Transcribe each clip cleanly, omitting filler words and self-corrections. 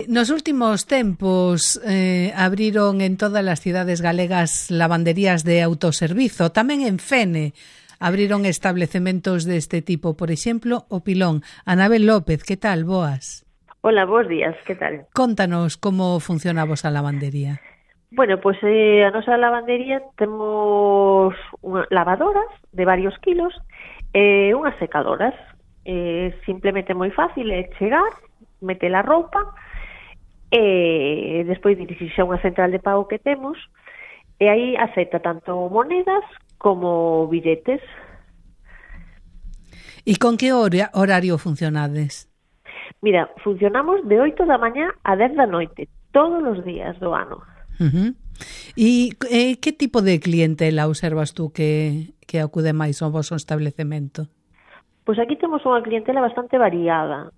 Nos últimos tempos abriron en todas as cidades galegas lavanderías de autoservizo, tamén en Fene abriron establecementos deste tipo, por exemplo, o Pilón. Anabel López, que tal? Boas. Hola, bons días, que tal? Contanos como funciona a vosa lavandería. Bueno, pois a nosa lavandería temos lavadoras de varios kilos e unhas secadoras. Simplemente moi fácil, é chegar, meter a roupa e despois dirixirse a unha central de pago que temos e aí acepta tanto monedas como billetes. E con que horario funcionades? Mira, funcionamos de 8 da mañá a 10 da noite, todos os días do ano. E que tipo de clientela observas tú que acude máis ao vosso establecemento? Pois aquí temos unha clientela bastante variada.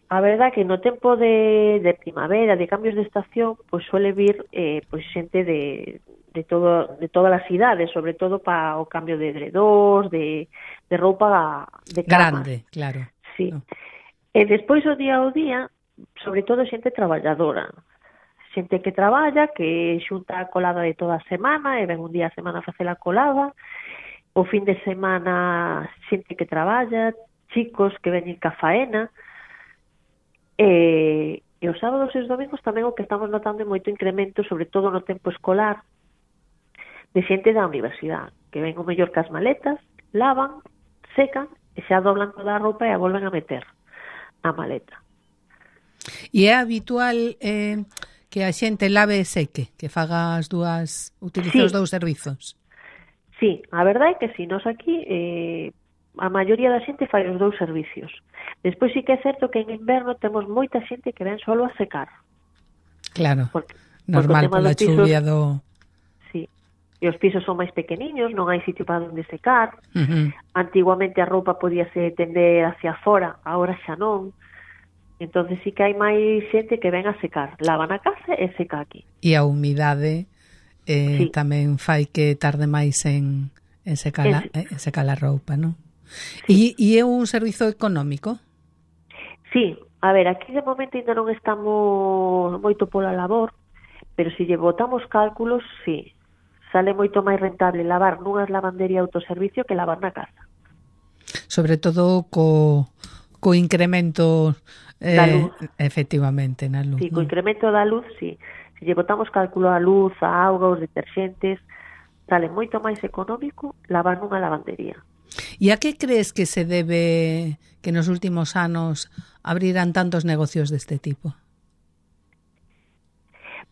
A verdad que no tempo de primavera, de cambios de estación, pois suele vir pois xente de todas as cidades, sobre todo para o cambio de edredós, de roupa de cama. Grande, claro. Sí. E despois o día ao día, sobre todo xente traballadora. Xente que traballa, que xunta a colada de toda a semana e ven un día a semana a facer a colada. O fin de semana xente que traballa, chicos que veñen ca faena. E os sábados e os domingos tamén o que estamos notando é moito incremento, sobre todo no tempo escolar, de xente da universidade, que ven o mellor cas maletas, lavan, secan e xa doblan toda a roupa e a volven a meter na maleta. E é habitual que a xente lave e seque, que faga as dúas, utilice os dous servizos? Sí, a verdade é que si, nos aquí a maioría da xente fai os dous servicios. Despois sí que é certo que en inverno temos moita xente que ven solo a secar. Claro, normal pola chuvia do... Sí, e os pisos son máis pequeniños, non hai sitio para onde secar. Antiguamente a roupa podíase tender hacia fora, agora xa non. Entonces sí que hai máis xente que ven a secar, lava na casa e seca aquí. E a humidade sí, tamén fai que tarde máis en secar a roupa, non? Sí. E é un servizo económico? Sí, a ver, aquí de momento ainda non estamos moito pola labor, pero se lle botamos cálculos, sí, sale moito máis rentable lavar nunhas lavandería autoservicio que lavar na casa. Sobre todo co incremento da luz. Efectivamente, na luz. Sí, co incremento da luz, sí. Se lle botamos cálculo a luz, a auga, os deterxentes, sale moito máis económico lavar nunha lavandería. E a que crees que se debe que nos últimos anos abriran tantos negocios deste tipo?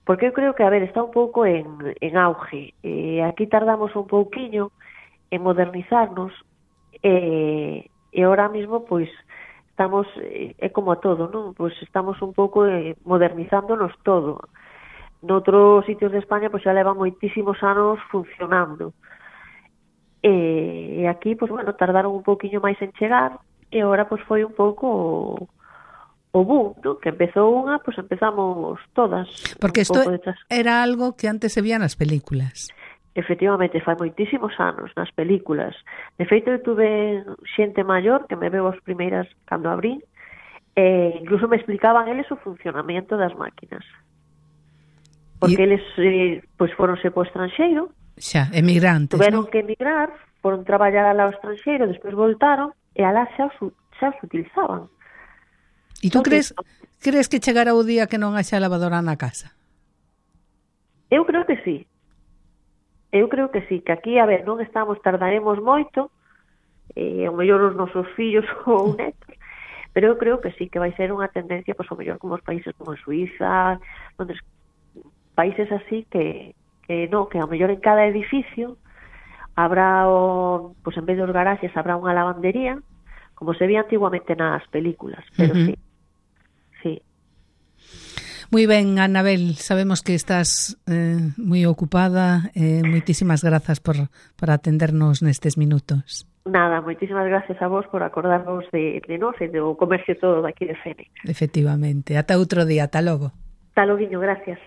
Porque eu creo que, a ver, está un pouco en auge. Aquí tardamos un pouquiño en modernizarnos e ahora mismo, pois, estamos, é como todo, non? Pois estamos un pouco modernizándonos todo. Noutros sitios de España, pois xa leva moitísimos anos funcionando. E aquí, pois, bueno, tardaron un pouquiño máis en chegar e agora, pois, foi un pouco o boom, ¿no? Que empezou unha, pois empezamos todas. Porque isto era algo que antes se veía nas películas. Efectivamente, fai moitísimos anos nas películas. De feito, eu tuve xente maior que me veu as primeiras cando abrí e incluso me explicaban eles o funcionamento das máquinas. Porque eles pois foronse po estranxeiro, xa, emigrantes, tuveron que emigrar, foron traballar ao estranxeiro, despois voltaron e alá xa os utilizaban. E tú crees que chegará o día que non haxa lavadora na casa? Eu creo que sí. Eu creo que sí, que aquí, a ver, non tardaremos moito, ao mellor os nosos fillos ou netos, pero eu creo que sí, que vai ser unha tendencia, pois, ao mellor como os países como Suiza, onde países así que ao mellor en cada edificio habrá, pois, en vez dos garaxes, habrá unha lavandería, como se veía antiguamente nas películas, pero sí. Moi ben, Anabel, sabemos que estás moi ocupada, moitísimas grazas por atendernos nestes minutos. Nada, moitísimas gracias a vos por acordarvos de nós e do comercio todo daqui de Fene. Efectivamente, ata outro día, ata logo. Ata logo, gracias.